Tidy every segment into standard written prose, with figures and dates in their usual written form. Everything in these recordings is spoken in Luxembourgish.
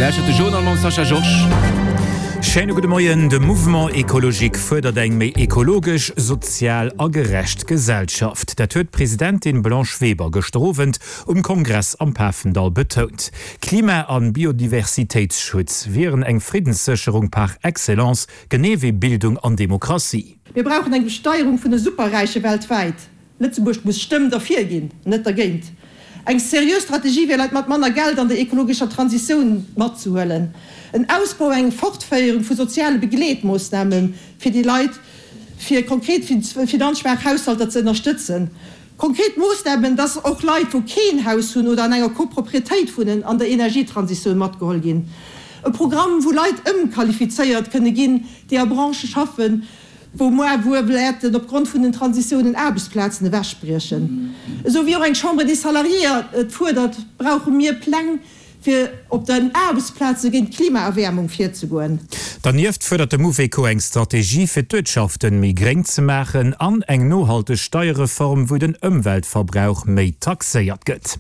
Dir lauschtert de Journal mam Sascha Georges. Schéine gudde Moien. De Mouvement Ecologique fuerdert eng méi ekologesch, sozial a gerecht Gesellschaft. Dat huet d'Presidentin Blanche Weber gëschter Owend um Kongress am Pafendall betount. Klima an Biodiversitéitsschutz wieren eng Friddenssécherung par excellence, genee wéi Bildung an Demokratie. Mir brauchen eng Besteierung vun de Superräiche weltwäit. Lëtzebuerg muss Stëmm derfir ginn, net dergéint. Eng seriö Strategie wier Leit mat manner Geld an der ekologescher Transitioun matzehuelen. En Ausbau, eng Fortféierung vu soziale Begleetmoossname fir déi Leit, fir konkret finanzschwaach Haushalter ze ënnerstëtzen. Konkret Moossnamen, dass och Leit, wou keen Haus hunn oder an enger Coproprietéit wunnen, an der Energietransitioun matgeholl ginn. E Programm, wou Leit ëmqualifizéiert kënne ginn, déi a Branchë schaffen, wou moar wuel wäerten op Grond vun den Transitiounen Aarbechtsplazen ewechbriechen. Esou wéi och eng Chambre des Salariés et fuerdert, brauche mir Pläng, fir op den Aarbechtsplaze géint d'Klimaerwäermung virzegoen. Dernieft fuerdert de Mouveco eng Strategie, fir d'Uertschaften méi gréng ze maachen an eng nohalteg Steierreform, wou den Ëmweltverbrauch méi taxéiert gëtt.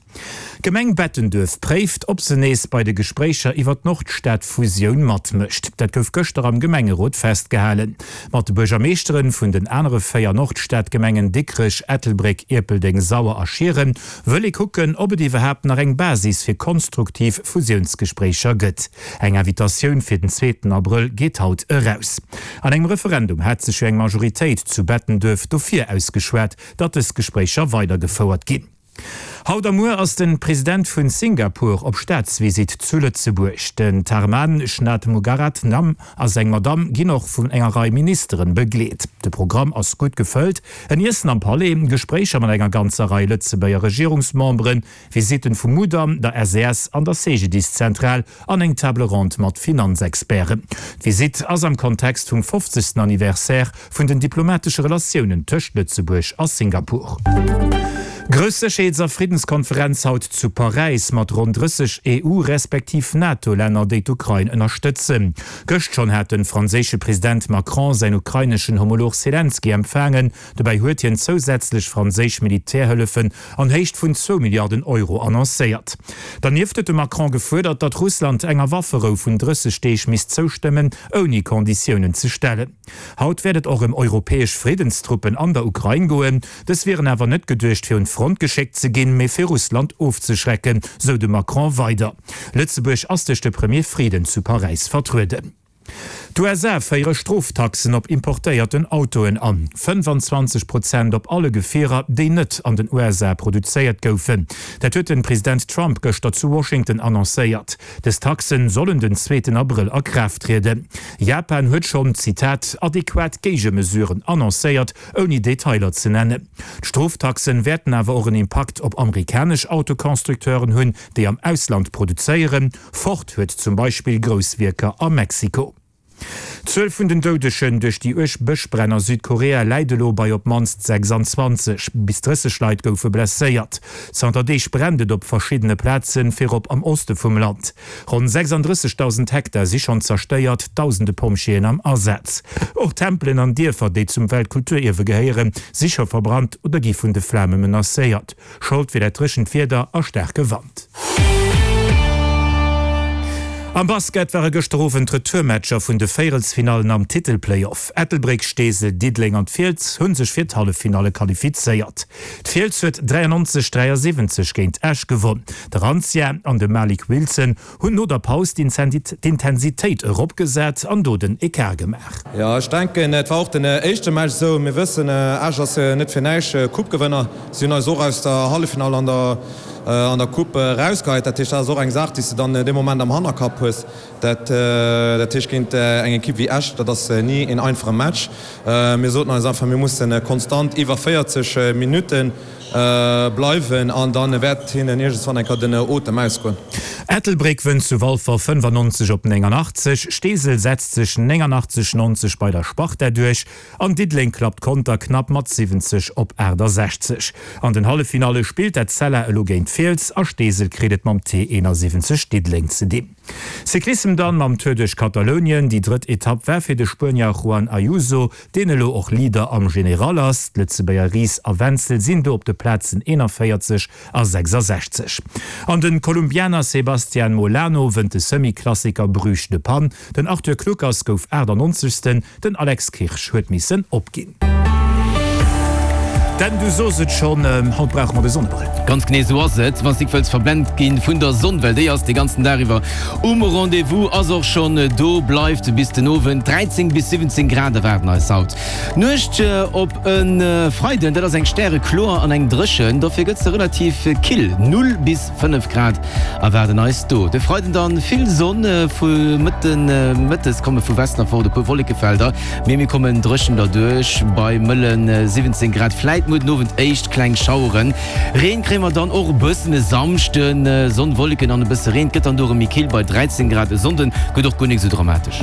D'Gemeng Bettenduerf préift, ob se nees bei de Gespréicher iwwer d'Nordstad-Fusioun matmécht. Dat gouf gëschter am Gemengerot festgehalen. Mat de Buergermeeschteren vun den anere 4 Nordstad-Gemengen Dikrech, Ettelbréck, Ierpeldeng, Sauer a Schieren wëll ee kucken, ob et iwwerhaapt nach eng Basis fir konstruktiv Fusiounsgespréicher gëtt. Eng Invitatioun fir den zweeten Abrëll geet haut eraus. An engem Referendum hat sech jo eng Majoritéit zu Bettenduerf dofir ausgeschwat, datt dës Gespréicher weidergefouert ginn. Haut a muer ass den President vun Singapur op Staatsvisitt zu Lëtzebuerg. Den Tharman Shanmugaratnam a seng Madamm ginn och vun enger Rei Ministeren begleet. De Programm ass gutt gefëllt, en Iessen am Palais, Gespréicher mat enger ganzer Rei Lëtzebuerger Regierungsmemberen, Visitten vum Mudam, der SES an der CGDIS-Zentral an eng Table ronde mat Finanzexperten. D'Visitt ass am Kontext vum 50. Anniversaire vun den diplomatesche Relatiounen tëscht Lëtzebuerg a Singapur. Grouss Sécherheets a Friddenskonferenz haut zu Paräis mat ronn 30 EU respektiv NATO-Länner, déi d'Ukrain ënnerstëtzen. Gëscht schonn hat de franséische President Macron säin ukraineschen Homolog Selenskyj empfaangen. Dobäi huet hien zousätzlech franséisch Militärhëllefen an Héicht vun zwou Milliarden Euro annoncéiert. Dernieft huet de Macron gefuerdert, datt Russland enger Wafferou vun 30 Deeg misst zoustëmmen, ouni Konditiounen ze stellen. Haut wäert et och ëm europäesch Friddenstruppen an der Ukrain goen. Dës wieren awer net geduecht fir un d'Front geschéckt ze ginn, mee fir Russland ofzeschrecken, sou de Macron weider. Lëtzebuerg ass duerch de Premier Frieden zu Paräis vertrueden. D'USA féiere Stroftaxen op importéierten Autoen an, 25 Prozent op alle Gefierer, déi net an den USA produzéiert goufen. Dat huet de President Trump gëschter zu Washington annoncéiert. Dës Taxen sollen den zweeten Abrëll a Kraaft trieden. Japan huet schonn, Zitat, adequat Géigemesuren annoncéiert, ouni Detailer ze nennen. D'Stroftaxen wäerten awer och en Impakt op amerikanesch Autoconstructeuren hunn, déi am Ausland produzéieren. Ford huet zum Beispill grouss Wierker a Mexiko. D'Zuel vun den Doudegen duerch déi uerg Bëschbränn a Südkorea läit elo bei op d'mannst 26. Bis 30 Leit goufe blesséiert. Zanter Deeg brennt et op verschiddene Plazen, virop am Oste vum Land. Ronn 36.000 Hektar si schonn zerstéiert, dausende Pompjeeën am Asaz. Och Tempelen an Dierfer, déi zum Weltkulturierwe gehéieren, si scho verbrannt oder gi vun de Flame menacéiert. Schold wier dat dréchent Wieder a staarke Wand. Am Basket ware gëschter Owend d'Retourmatcher vun de Véierelsfinallen am Titelplayoff. Ettelbréck, Steesel, Diddeleng an d'Fiels hu sech fir d'Halleffinalle qualifizéiert. D'Fiels huet 93, 73 géint Esch gewonn. De Rancja an de Malik Wilson hunn no der Paus d'Intensitéit eropgesat an do den Ecart gemaach. Jo, ech denken, et war och den éischte Match esou. Mir wëssen, Esch ass net fir näischt Coupe-Gewënner. Si hunn eis och aus der Halleffinall an der an der Coupe erausgeheit. Dat heescht, dat ass och eng Saach, déi s de dann dee Moment am Hannerkapp hues. Dat dat heescht, géint eng Ekipp wéi Esch, dat ass ni een einfache Match. Mir soten eis einfach, mir musse konstant iwwer 40 Minutte bleiwen an da wäert hinnen iergendswann eng Kéier den Otem ausgoen. Ettelbréck wënnt zu Walfer 95 op 89, Steesel setzt sech 89, 90 bei der Sparta duerch an Diddeleng klappt Conter knapp mat 70 op 68. An den Halleffinalle spillt Etzella elo géint Fiels a Steesel kritt et mam T71 Diddeleng ze dinn. Cyclissem dann mam Tour duerch Katalounien. Déi drëtt Etapp war fir de Spuenier Juan Ayuso, deen elo och Leader am General ass. D'Lëtzebuerger Ries a Wenzel sinn do op de. Plazen 41 a 66. An de Kolumbianer Sebastian Molano wënnt de Semi-Klassiker Bruges-De Panne. Den Arthur Kluckers gouf 98. Den Alex Kirsch huet missen opginn. Dan, du sos et schonn, haut brauche mer de Sonnebrëll. Ganz genee esou ass et. Wann s nik wëlls verblent ginn vun der Sonn, well déi ass de ganzen Dag iwwer um Rendez-vous, ass och schonn do, bleift bis den Owend. 13 bis 17 Grad erwaarden eis haut. D'Nuecht op e Freiden, dat ass eng stärekloer an eng dréchen, dofir gëtt se relativ kill, 0 bis 5 Grad erwaarden eis do. De Freiden dann vill Sonn, vu Mëtten Mëttes komme vu Westen erfort e puer Wollekefelder, mee mir kommen dréchen derduerch bei mëlle 17 Grad. Fläit muer den Owend éischt kleng Schaueren. Reen kréie mer dann och e bëssen e Samschden, Sonn, Wolleken an e bësse Reen. Et gëtt dann do erëm méi kill bei 13 Grad. E Sonnden gëtt och guer nik esou dramatesch.